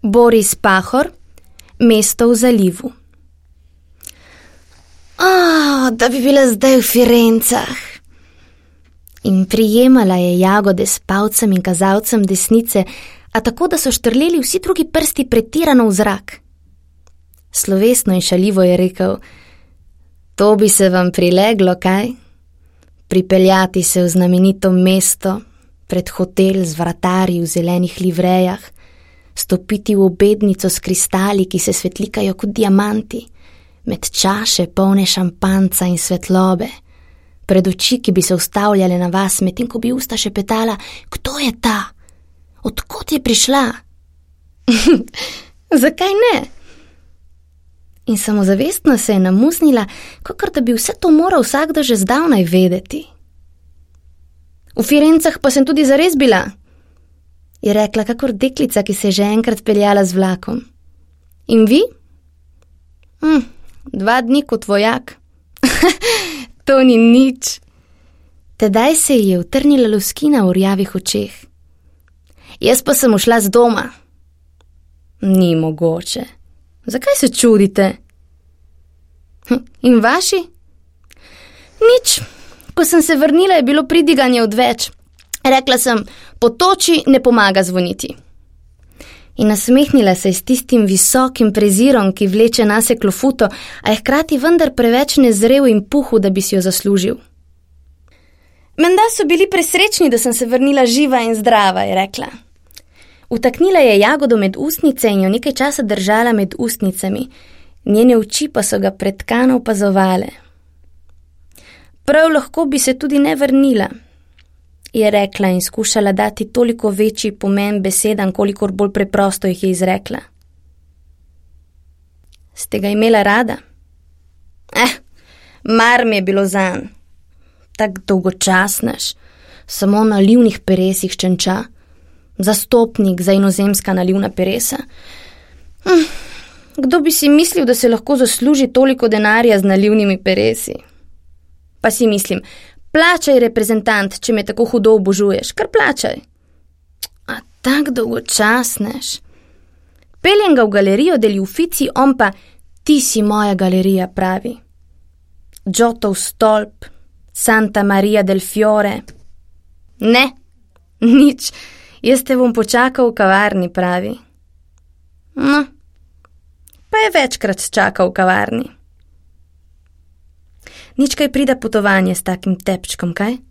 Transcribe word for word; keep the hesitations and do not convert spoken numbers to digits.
Boris Pahor, Mesto v zalivu. Oh, da bi bila zdaj v Firencah. In prijemala je jagode s palcem in kazalcem desnice, a tako, da so štrleli vsi drugi prsti pretirano v zrak. Slovesno in šaljivo je rekel: to bi se vam prileglo, kaj? Pripeljati se v znamenito mesto, pred hotel z vratarji v zelenih livrejah, stopiti v obednico s kristali, ki se svetlikajo kot diamanti, med čaše polne šampanca in svetlobe, pred oči, ki bi se ustavljale na vas, medtem ko bi usta šepetala: kdo je ta? Odkot je prišla? Zakaj ne? In samozavestno se je namuznila, kakor da bi vse to moral vsakdo že zdavnaj vedeti. V Firencah pa sem tudi zares bila, je rekla kakor deklica, ki se je že enkrat peljala z vlakom. In vi? Hm, dva dni kot vojak. To ni nič. Tedaj se ji je utrnila luskina v rjavih očeh. Jaz pa sem ušla z doma. Ni mogoče. Zakaj se čudite? In vaši? Nič. Ko sem se vrnila, je bilo pridiganje odveč. Rekla sem: po toči ne pomaga zvoniti. In nasmehnila se je s tistim visokim prezirom, ki vleče nase klofuto, a je hkrati vendar preveč nezrel in puhu, da bi si jo zaslužil. Menda so bili presrečni, da sem se vrnila živa in zdrava, je rekla. Vtaknila je jagodo med ustnice in jo nekaj časa držala med ustnicami, njene oči pa so ga pretkano opazovale. Prav lahko bi se tudi ne vrnila, je rekla in skušala dati toliko večji pomen besedam, kolikor bolj preprosto jih je izrekla. Ste ga imela rada? Eh, mar mi je bilo zanj. Tak dolgočasnež, samo na livnih peresih čenča, zastopnik za inozemska nalivna peresa. Hm, kdo bi si mislil, da se lahko zasluži toliko denarja z nalivnimi peresi? Pa si mislim, plačaj, reprezentant, če me tako hudo obožuješ, kar plačaj. A tak dolgočasnež. Peljem ga v galerijo deli Uffizi, on pa: ti si moja galerija, pravi. Giotov stolp, Santa Maria del Fiore. Ne, nič, jaz te bom počakal v kavarni, pravi. No, pa je večkrat čakal v kavarni. Nič kaj prida potovanje s takim tepčkom, kaj?